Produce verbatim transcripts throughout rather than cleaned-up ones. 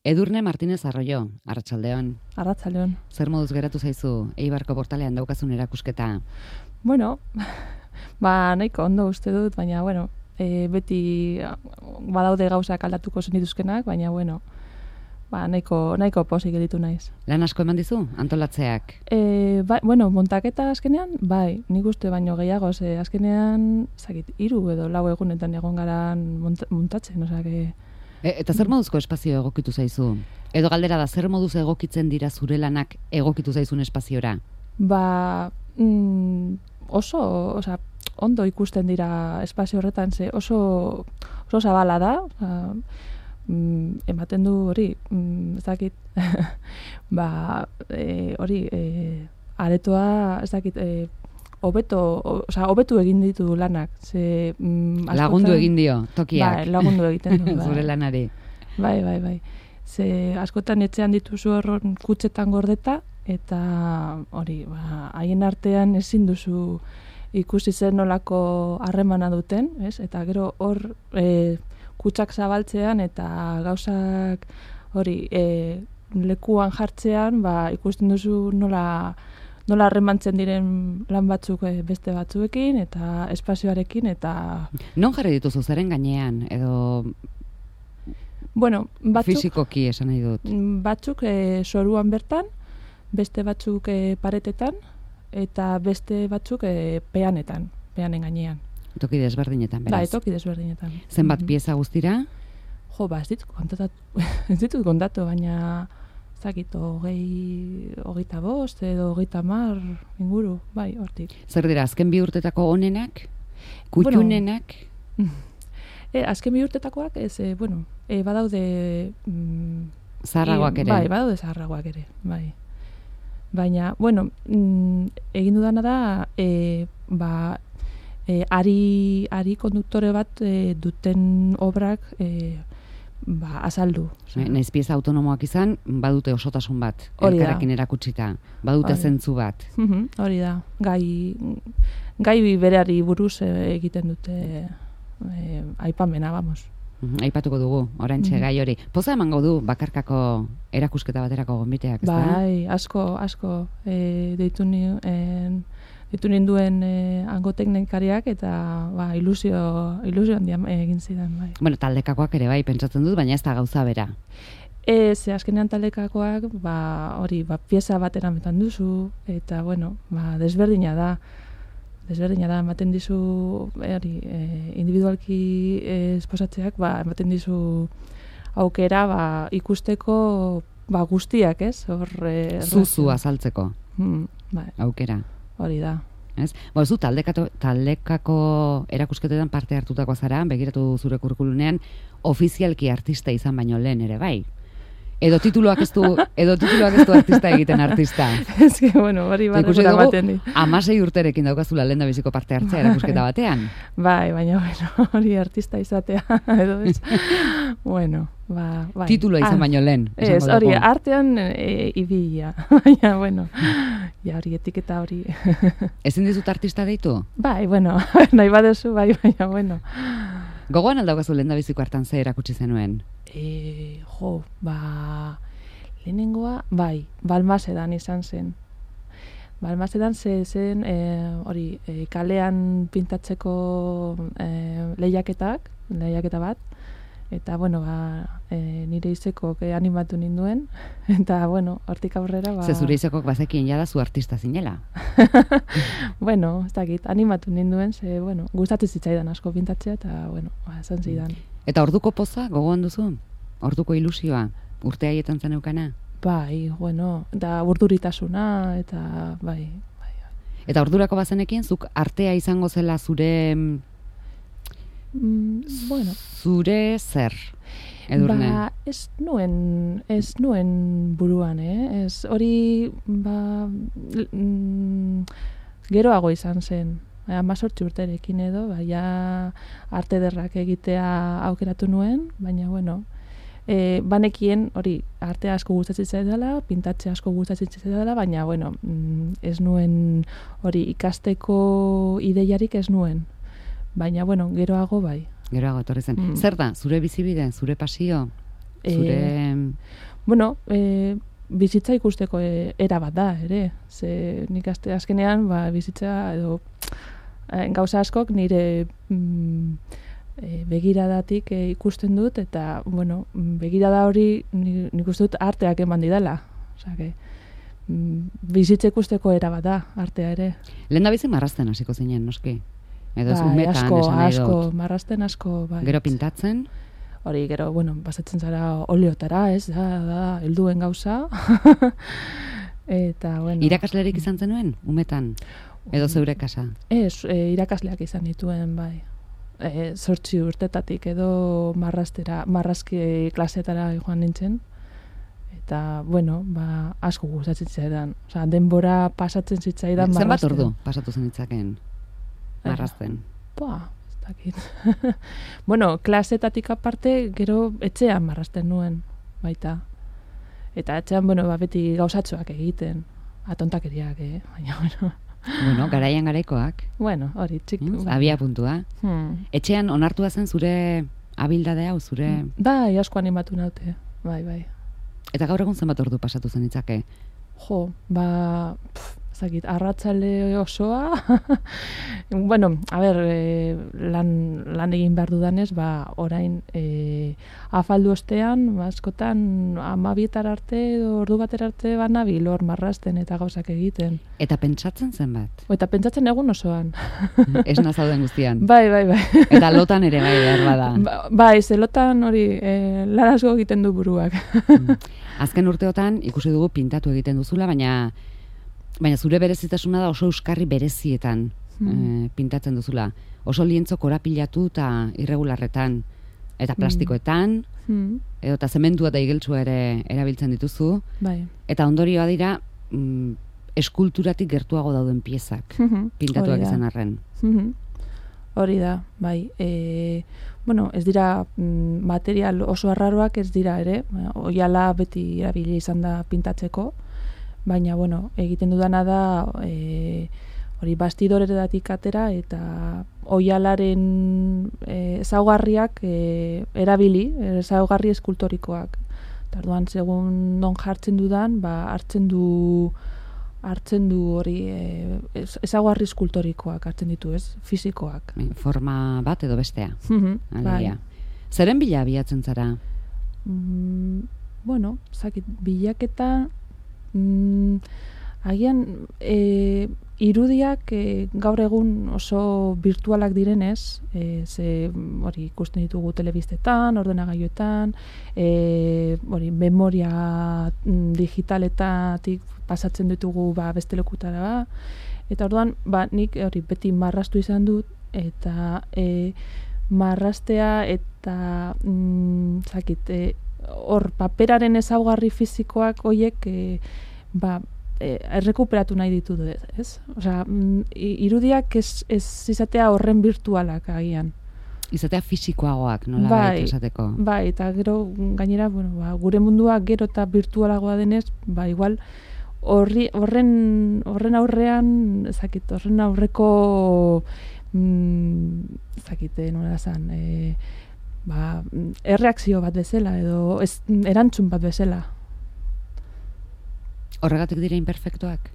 Edurne Martínez Arroyo, arratsaldeon. Arratsaldeon. Zer moduz geratu zaizu Eibarko portalean daukazun erakusketa? Bueno, ba nahiko ondo uste dut, baina bueno, e, beti badaude gauzak aldatuko zenituzkenak, baina bueno, ba nahiko nahiko pozik gelditu naiz. Lan asko eman dizu antolatzeak? E, ba, bueno, montaketa azkenean, bai, nik uste baino gehiago, ze azkenean, zakit, hiru edo lau egunetan egon garan mont, montatzen, osea que E, eta zer moduzko espazio egokitu zaizu? Edo galdera da, zer moduz egokitzen dira zure lanak egokitu zaizun espaziora? Ba, mm, oso, osea, ondo ikusten dira espazio horretan, ze oso, oso zabala da, osea, mm, ematen du hori, mm, ez dakit, ba, e, hori, e, aretoa, ez dakit, e, hobeto, osea, hobetu egin ditu lanak. Ze, mm, askotan, lagundu egin dio, tokiak. Bai, lagundu egiten du. Bai. Zure lanari. Bai, bai, bai. Ze, askotan etxean dituzu horren kutxetan gordeta, eta hori, ba, haien artean ezin duzu ikusi zen nolako harremana duten, ez? Eta gero hor e, kutxak zabaltzean eta gauzak hori e, lekuan jartzean, ba, ikusten duzu nola nola harremantzen diren lan batzuk beste batzuekin eta espazioarekin eta non jarri dituzu zaren gainean edo bueno, batzuk fisikoki esan nahi dut. Batzuk e, soruan bertan, beste batzuk e, paretetan eta beste batzuk e, peanetan, peanen gainean. Toki desberdinetan, beraz. Bai, toki desberdinetan. Zenbat mm-hmm. pieza guztira? Jo, ba, ez ditut kontatu, ez ditut kontatu, baina zakit, hogei, hogeita bost edo hogeita mar inguru, bai, hortik. Zer dira, azken bi urtetako onenak? Kutxunenak? Bueno, e, azken bi urtetakoak, ez, e, bueno, e, badaude... Mm, zaharragoak ere? Bai, badaude zaharragoak ere, bai. Baina, bueno, mm, egin dudana da, e, ba, e, ari, ari konduktore bat e, duten obrak... E, ba, azaldu. Naiz pieza autonomoak izan, badute osotasun bat, elkarrekin erakutsita, badute hori. Zentzu bat. Mm-hmm, hori da, gai, gai berari buruz egiten dute e, aipamena, vamos. Mm-hmm, aipatuko dugu, oraintxe mm-hmm. gai hori. Poza emango du bakarkako erakusketa baterako gonbiteak, ez da? Bai, asko, asko, e, deitu nien, ditu ninduen e, hango teknikariak eta ba, ilusio, ilusio handia egin zidan. Bai. Bueno, taldekakoak ere bai, pentsatzen dut, baina ez da gauza bera. Ez, azkenean taldekakoak, ba, hori, ba, pieza bat erametan duzu, eta, bueno, ba, desberdina da, desberdina da, ematen dizu, hori, e, individualki e, esposatzeak, ba, ematen dizu aukera, ba, ikusteko, ba, guztiak, ez? Hor, e, Zuzu azaltzeko. Hmm, bai. Aukera. Hori da. Ez? Bo, zu taldekako, taldekako erakusketetan parte hartutako zara, begiratu zure kurrikulunean, ofizialki artista izan baino lehen ere, bai? Edo tituluak ez du, edo tituluak ez du artista egiten artista. Ez que, bueno, hori bat egura baten di. Amasei urterekin daukazula lehen da biziko parte hartzea erakusketa batean. Bai, baina, bueno, hori artista izatea, edo ez. Bueno, ba, bai. Titulua izan ah, baino lehen. Ez, hori, artean e, ibilia. Baina, bueno, ja hori etiketa hori. Ezin dizut artista deitu? Bai, bueno, nahi baduzu, bai, baina, bueno. Gogoan aldaukazu lehen da biziko hartan ze erakutsi zenuen? E, jo, ba, lehenengoa, bai, Balmasedan izan zen. Balmasedan ze zen, e, hori, e, kalean pintatzeko e, lehiaketak, lehiaketa bat, eta, bueno, ba, e, nire izekok e, animatu ninduen, eta, bueno, hortik aurrera, ba... Ze zure izekok bazekien jada zu artista zinela. Bueno, ez dakit, animatu ninduen, ze, bueno, gustatzen zitzaidan asko pintatzea, eta, bueno, ba, esan zidan. Eta orduko poza, gogoan duzu? Orduko ilusioa? Urte haietan zen eukana? Bai, bueno, eta urduritasuna, eta bai, bai. Eta ordurako bazenekin, zuk artea izango zela zure... Mm, bueno. Zure zer, Edurne? Ba, ez nuen, ez nuen buruan, eh? Ez hori, ba, mm, geroago izan zen. Amazortzi urterekin edo, baina arte derrak egitea aukeratu nuen, baina, bueno, e, banekien hori arte asko gustatzen zaidala, pintatze asko gustatzen zaidala, baina, bueno, ez nuen hori ikasteko ideiarik ez nuen. Baina, bueno, geroago bai. Geroago etorri zen. Mm. Zer da, zure bizibide, zure pasio, zure... E... bueno, e, bizitza ikusteko e, era bat da, ere. Ze nik azte azkenean, ba, bizitza edo e, gauza askok nire mm, e, begiradatik e, ikusten dut, eta, bueno, begirada hori nik, nik uste dut arteak eman didala. Osea, que, mm, bizitza ikusteko era bat da, artea ere. Lehen da bizi marrazten hasiko zinen, noski? Edo ez Bai, umetan asko, esan nahi asko, dut. marrazten asko, bai. Gero pintatzen? Hori, gero, bueno, pasatzen zara oleotara, ez, da, da, helduen gauza. Eta, bueno. Irakaslerik izan zenuen, umetan? Edo zeure kasa? Ez, e, irakasleak izan dituen, bai. E, zortzi urtetatik edo marrastera, marrazki klasetara joan nintzen. Eta, bueno, ba, asko gustatzen zaidan. Osea, denbora pasatzen zitzaidan Zenbat marrazten. ordu pasatu zen ditzaken marrazten? Ba, ez dakit. Bueno, klasetatik aparte, gero etxean marrazten nuen, baita. Eta etxean, bueno, ba, beti gauzatxoak egiten. Atontakeriak, eh? Baina, bueno. Bueno, garaian garaikoak. Bueno, hori, txik. Mm, abia puntua. Hmm. Etxean onartua zen zure abildade hau, zure... Bai, asko animatu naute. Bai, bai. Eta gaur egun zenbat ordu pasatu zen ditzake? Jo, ba... Pff, zakit, arratzale osoa. Bueno, a ber, e, lan, lan egin behar dudanez, ba, orain e, afaldu ostean, ba, askotan amabietar arte edo ordu batera arte banabil hor marrazten eta gauzak egiten. Eta pentsatzen zenbat? Eta pentsatzen egun osoan. Esna zauden guztian. Bai, bai, bai. Eta lotan ere bai behar bada. Ba, bai, zelotan hori, e, lan asko egiten du buruak. Azken urteotan ikusi dugu pintatu egiten duzula, baina baina zure berezitasuna da oso euskarri berezietan Hmm. eh, pintatzen duzula. Oso lientzo korapilatu eta irregularretan eta plastikoetan, Hmm. edo eta zementua eta igeltsua ere erabiltzen dituzu, Bai. eta ondorioa dira mm, eskulturatik gertuago dauden piezak, pintatuak Hori da. izan arren. Mhm. Hori da, bai. E, bueno, ez dira mm, material oso arraroak ez dira ere, oiala beti erabili izan da pintatzeko, baina, bueno, egiten dudana da e, hori bastidoretatik atera eta oialaren e, ezaugarriak e, erabili, ezaugarri eskultorikoak. Eta orduan, segun non jartzen dudan, ba, hartzen du hartzen du hori e, ezaugarri eskultorikoak hartzen ditu, ez? Fisikoak. Forma bat edo bestea. Mhm, Alegia. Zeren bila abiatzen zara? Mm, bueno, zakit, bilaketa mm, agian e, irudiak e, gaur egun oso virtualak direnez, e, ze hori ikusten ditugu telebistetan, ordenagailuetan, e, hori memoria digitaletatik pasatzen ditugu ba, beste lekutara ba. Eta orduan, ba, nik hori beti marraztu izan dut, eta e, marraztea eta mm, zakit, e, hor paperaren ezaugarri fisikoak hoiek e, ba, e, errekuperatu nahi ditut, ez? Osea, mm, irudiak ez, ez izatea horren virtualak agian. Izatea fisikoagoak, nola bai, esateko. Bai, eta gero gainera, bueno, ba, gure mundua gero eta virtualagoa denez, ba, igual horri, horren, horren aurrean, ezakit, horren aurreko mm, ezakite, nola zan, e, ba, erreakzio bat bezala, edo ez, erantzun bat bezala. Horregatik dira imperfektuak?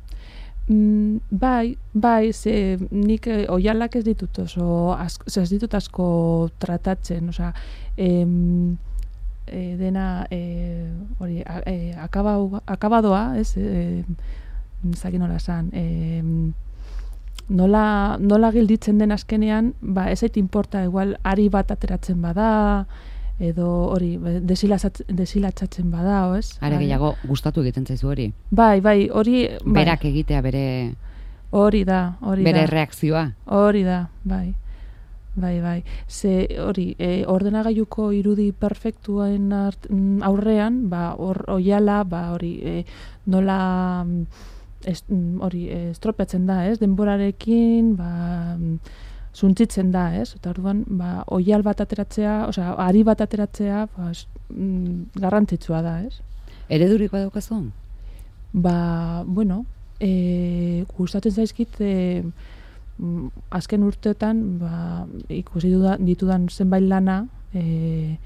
Mm, bai, bai, ze nik e, oialak ez ditut oso, asko, ez ditut asko tratatzen, osea, em, e, dena, e, hori, e, akaba, akabadoa, ez, e, zaki nola esan, e, nola, nola gilditzen den azkenean, ba, ez zait inporta, igual, ari bat ateratzen bada, edo hori, desilatzatzen bada, ez? Are gehiago gustatu egiten zaizu hori? Bai, bai, hori... Bai. Berak egitea bere... Hori da, hori bere da. Bere reakzioa? Hori da, bai. Bai, bai. Ze hori, e, ordenagailuko irudi perfektuen aurrean, ba, hor oiala, ba, hori, e, nola... Ez, hori, estropeatzen da, ez? Denborarekin, ba... Zuntzitzen da, ez? Eta orduan, ba, oial bat ateratzea, osea, ari bat ateratzea, ba, mm, garrantzitsua da, ez? Eredurik badaukazu? Ba, bueno, e, gustatzen zaizkit, e, azken urteetan, ba, ikusi duda, ditudan zenbait lana, e,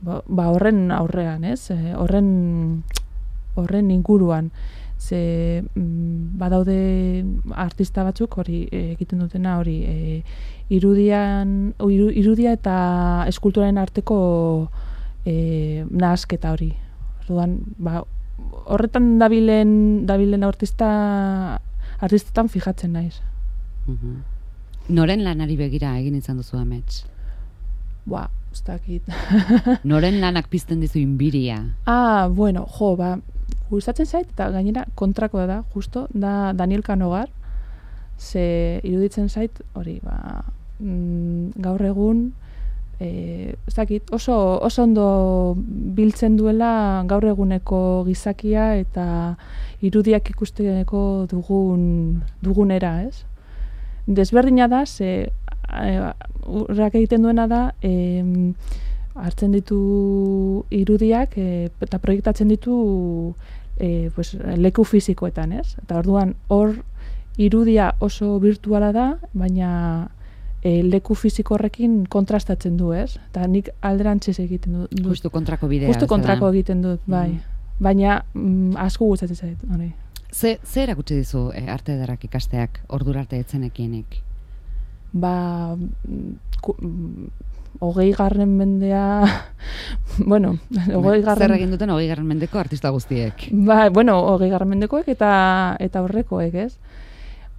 ba, ba horren aurrean, ez? E, horren horren inguruan. Ze mm, badaude artista batzuk hori e, egiten dutena hori e, irudian iru, irudia eta eskulturaren arteko e, nahasketa hori. Orduan, ba, horretan dabilen dabilen artista artistetan fijatzen naiz. Mhm. Noren lanari begira egin izan duzu amets? Ba, ez dakit. Noren lanak pizten dizu inbiria? Ah, bueno, jo, ba, gustatzen zait, eta gainera kontrakoa da, justo, da Daniel Canogar, ze iruditzen zait, hori, ba, mm, gaur egun, e, ez dakit, oso, oso ondo biltzen duela gaur eguneko gizakia eta irudiak ikusteko dugun, dugunera, ez? Desberdina da, ze urrak egiten duena da, e, hartzen ditu irudiak e, eta proiektatzen ditu e, pues, leku fizikoetan, ez? Eta orduan hor irudia oso virtuala da, baina e, leku fiziko horrekin kontrastatzen du, ez? Eta nik alderantziz egiten dut. Justu kontrako bidea. Justu kontrako egiten dut, bai. Mm. Baina mm, asko gustatzen zait, hori. Ze, ze erakutsi dizu e, arte ederrak ikasteak ordura arte etzenekienik? Ba, ku, hogei garren mendea, bueno, hogei garren... Zer egin duten hogei garren mendeko artista guztiek? Ba, bueno, hogei garren mendekoek eta, eta horrekoek, ez?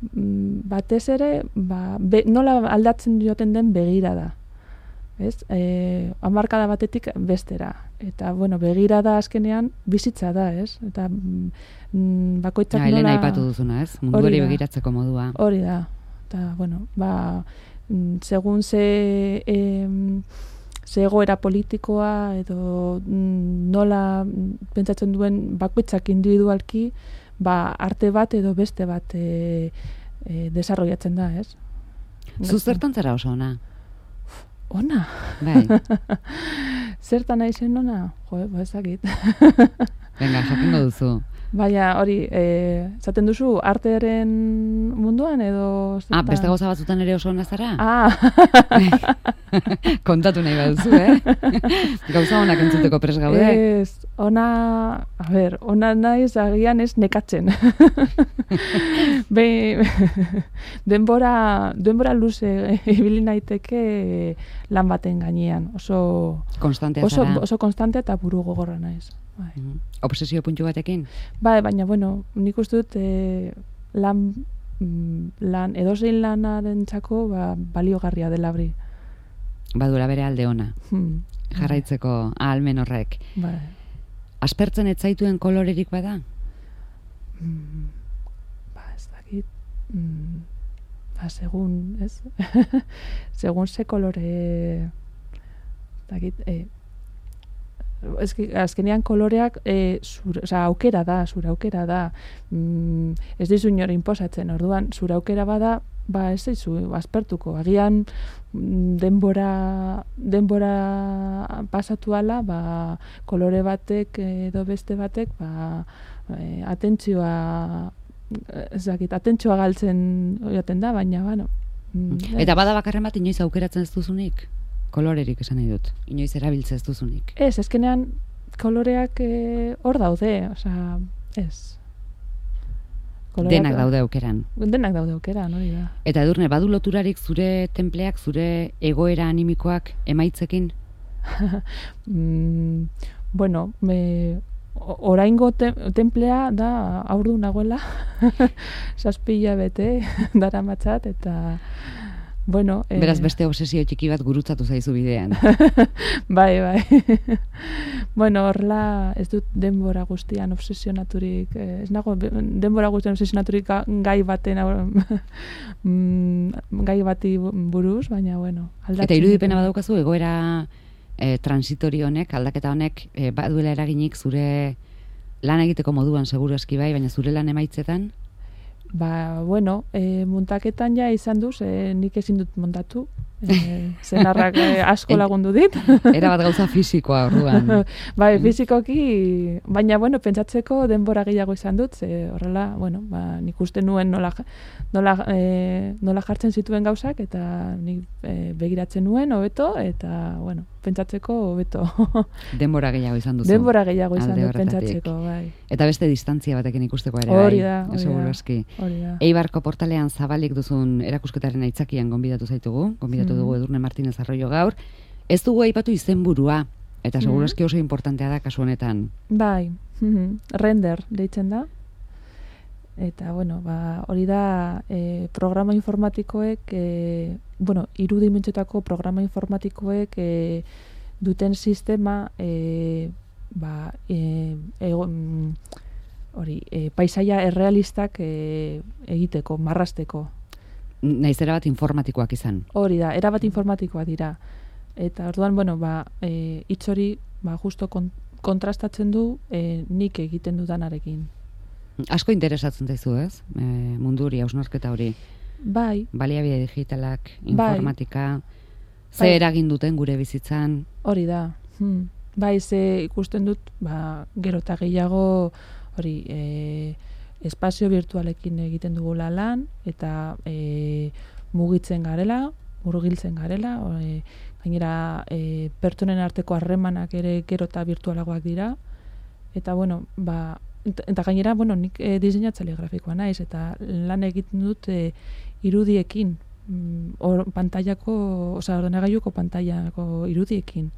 Batez ere, ba, be, nola aldatzen joten den begirada, ez? E, hamarkada batetik bestera. Eta, bueno, begirada azkenean bizitza da, ez? Eta mm, bakoitzak ja, nola... Elena aipatu duzuna, ez? Munduari begiratzeko modua. Hori da. Eta, bueno, ba, segun ze, eh, ze egoera politikoa edo nola pentsatzen duen bakoitzak individualki, ba, arte bat edo beste bat e, e, desarrollatzen da, ez? Zu zertan zara oso ona? Ona? Bai. Zertan naizen ona? Jo, ba, ezakit. Venga, jakingo duzu. Baina hori, eh, zaten duzu artearen munduan edo... Ah, beste gauza batzutan ere oso ona zara? Ah! Kontatu nahi baduzu, eh? Gauza onak entzuteko pres gaude? Ez, ona, a ber, ona naiz agian ez nekatzen. Be, denbora, denbora luze ibili naiteke lan baten gainean. Oso... Konstantea oso, zara? Oso konstante eta buru gogorra naiz. Bai. Mm. Obsesio puntu batekin? Bai, baina, bueno, nik uste dut eh, lan, lan edozein lanarentzako ba, baliogarria dela hori. Baduela bere alde ona. Hmm. Jarraitzeko ahalmen horrek. Bai. Aspertzen ez zaituen kolorerik bada? Mm, ba, ez dakit. Mm, ba, segun, ez? Segun ze kolore... dakit, eh, Eski, azkenean koloreak e, zure, oza, aukera da, zure aukera da. Mm, ez dizu inor inposatzen, orduan, zure aukera bada, ba ez dizu aspertuko. Agian denbora, denbora pasatu ala, ba, kolore batek edo beste batek, ba, e, atentzioa, ezakit, atentzioa galtzen oiaten da, baina, bueno. Mm, Eta bada bakarren bat inoiz aukeratzen ez duzunik? Kolorerik esan nahi dut, inoiz erabiltze ez duzunik. Ez, ezkenean koloreak hor e, daude, osea, ez. Koloreak, denak daude aukeran. Denak daude aukeran, hori da. Eta Edurne, badu loturarik zure tenpleak, zure egoera animikoak emaitzekin? mm, bueno, me, oraingo te, templea da aurdu nagoela, zazpila bete dara matzat, eta... Bueno, eh... Beraz beste obsesio txiki bat gurutzatu zaizu bidean. Bai, bai. Bueno, horla ez dut denbora guztian obsesionaturik, eh, ez nago denbora guztian obsesionaturik gai baten gai bati buruz, baina bueno, aldatzen. Eta irudipena badaukazu egoera eh, transitori honek, aldaketa honek eh, baduela eraginik zure lan egiteko moduan seguru eski bai, baina zure lan emaitzetan? Ba, bueno, e, muntaketan ja izan duz, e, nik ezin dut montatu, E, zenarrak e, asko lagundu dit. Era bat gauza fisikoa orduan. Bai, fisikoki, baina, bueno, pentsatzeko denbora gehiago izan dut, ze horrela, bueno, ba, nik uste nuen nola, nola, e, nola jartzen zituen gauzak, eta nik e, begiratzen nuen, hobeto, eta, bueno, pentsatzeko hobeto. Denbora gehiago izan duzu. Denbora gehiago izan dut pentsatzeko, bai. Eta beste distantzia batekin ikusteko ere, hori da, bai. Hori da, hori da. Eibarko portalean zabalik duzun erakusketaren aitzakian gonbidatu zaitugu, gonbidatu dugu Edurne Martinez Arroyo gaur. Ez dugu aipatu izenburua, eta segurazki oso importantea da kasu honetan. Bai, render deitzen da. Eta, bueno, ba, hori da e, programa informatikoek, e, bueno, hiru dimentsiotako programa informatikoek e, duten sistema, e, ba, e, e, hori, e, paisaia errealistak e, egiteko, marrasteko. Naiz erabat informatikoak izan. Hori da, erabat informatikoak dira. Eta orduan, bueno, ba, e, hitz hori ba, justo kon, kontrastatzen du e, nik egiten dudanarekin. Asko interesatzen zaizu, ez? E, mundu hori, hausnarketa hori. Bai. Baliabide digitalak, informatika, bai. Ze eragin duten gure bizitzan. Hori da. Hmm. Bai, ze ikusten dut, ba, gero eta gehiago hori, e, espazio virtualekin egiten dugula lan, eta e, mugitzen garela, murgiltzen garela, e, gainera e, pertsonen arteko harremanak ere gero eta virtualagoak dira, eta bueno, ba, eta gainera, bueno, nik e, diseinatzaile grafikoa naiz, eta lan egiten dut e, irudiekin, or, pantailako, oza, ordenagailuko pantailako irudiekin.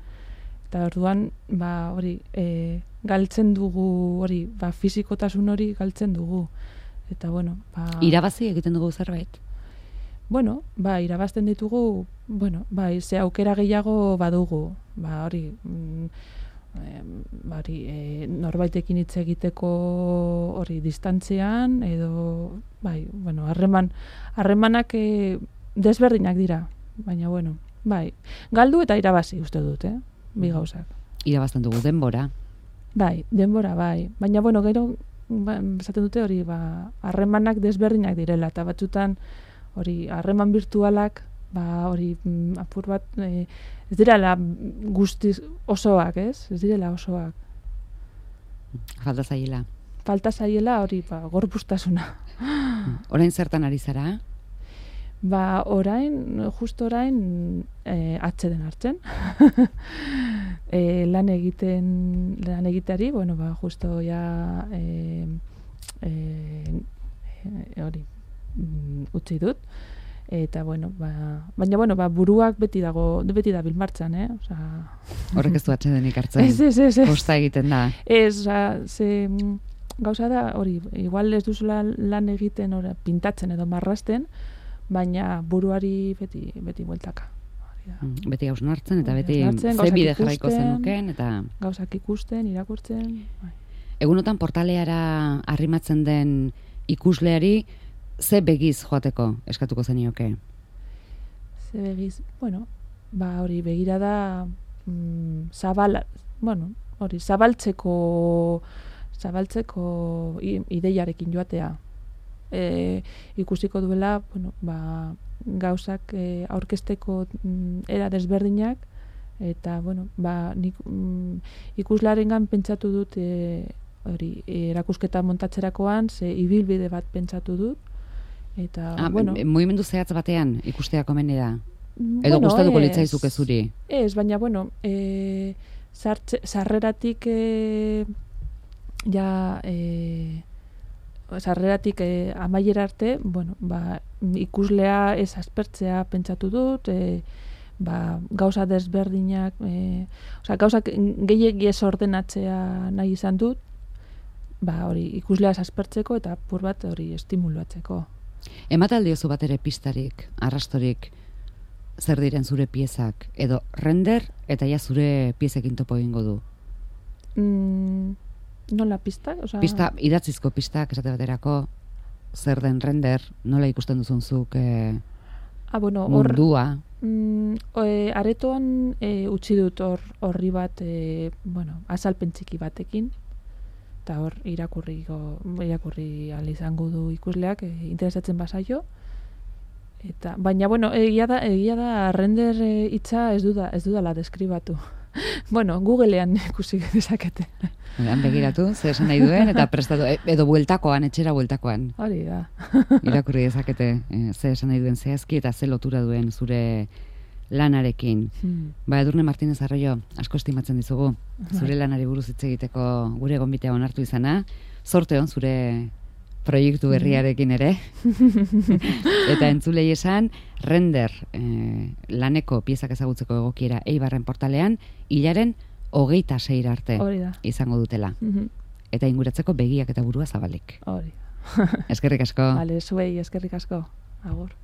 Eta orduan, ba, hori, e, galtzen dugu, hori, ba, fizikotasun hori galtzen dugu. Eta, bueno, ba... Irabazi egiten dugu zerbait? Bueno, ba, irabazten ditugu, bueno, ba, ze aukera gehiago badugu. Ba, hori, mm, e, bari, e, norbaitekin hitz egiteko hori distantzean, edo, bai, bueno, harreman, harremanak e, desberdinak dira, baina, bueno, bai, galdu eta irabazi uste dut, eh? Bi gauzak. Irabazten dugu denbora. Bai, denbora, bai. Baina, bueno, gero, ba, esaten dute hori, ba, harremanak desberdinak direla, eta batzutan, hori, harreman virtualak, ba, hori, apur bat, e, ez direla guztiz osoak, ez? Ez direla osoak. Falta zaiela. Falta zaiela, hori, ba, gorpuztasuna. Orain zertan ari zara? Ba, orain, justo orain, e, atxeden hartzen. e, lan egiten, lan egiteari, bueno, ba, justo ja, e, e, e, hori, utzi dut. Eta, bueno, ba, baina, bueno, ba, buruak beti dago, beti da bilmartzan, eh? Osa... Horrek ez du atxedenik hartzen. Ez, ez, ez. Kosta egiten da. Ez, oza, ze, gauza da, hori, igual ez duzula lan egiten, ora, pintatzen edo marrasten, baina buruari beti beti bueltaka. Beti hausnartzen eta beti ze bide jarraiko zenuken eta gauzak ikusten, irakurtzen. Bai. Egunotan portaleara arrimatzen den ikusleari ze begiz joateko eskatuko zenioke? Ze begiz, bueno, ba hori begirada mm, zabal, bueno, hori zabaltzeko zabaltzeko ideiarekin joatea. E, ikusiko duela, bueno, ba, gauzak e, aurkezteko mm, era desberdinak, eta, bueno, ba, nik mm, ikuslarengan pentsatu dut e, hori, erakusketa montatzerakoan, ze ibilbide bat pentsatu dut, eta, ah, bueno... Mugimendu zehatz batean ikustea komeni da? Edo Bueno, gustatuko ez, litzaizuke zuri? Ez, baina, bueno, e, sartze, sarreratik e, ja... E, sarreratik eh, amaiera arte, bueno, ba, ikuslea ez aspertzea pentsatu dut, eh, ba, gauza desberdinak, eh, osea, gauzak gehiegi ez ordenatzea nahi izan dut, ba, hori, ikuslea ez aspertzeko eta pur bat hori estimulatzeko. Emataldiozu bat ere pistarik, arrastorik, zer diren zure piezak, edo render eta ja zure piezekin topo egingo du? Mm, nola pista? Osa... Pista, idatzizko pistak esate baterako, zer den render, nola ikusten duzunzuk eh, ah, bueno, mundua? Or, mm, e, aretoan e, utzi dut hor horri bat, e, bueno, azalpen txiki batekin, eta hor irakurri, irakurri ahal izango du ikusleak, e, interesatzen bazaio, Eta, baina, bueno, egia da, egia da render eh, hitza ez duda, ez dudala deskribatu. Bueno, Googlean ikusi dezakete. Han begiratu, zer esan nahi duen, eta prestatu, edo bueltakoan, etxera bueltakoan. Hori da. Irakurri dezakete, eh, zer esan nahi duen zehazki, eta ze lotura duen zure lanarekin. Hmm. Ba, Edurne Martinez Arroyo, asko estimatzen dizugu, zure lanari buruz hitz egiteko gure gonbitea onartu izana, zorte hon zure proiektu berriarekin ere. Eta entzulei esan, render eh, laneko piezak ezagutzeko egokiera Eibarren portalean, hilaren hogeita seira arte izango dutela. Mm-hmm. Eta inguratzeko begiak eta burua zabalik. Hori. Eskerrik asko. Vale, zuei eskerrik asko. Agur.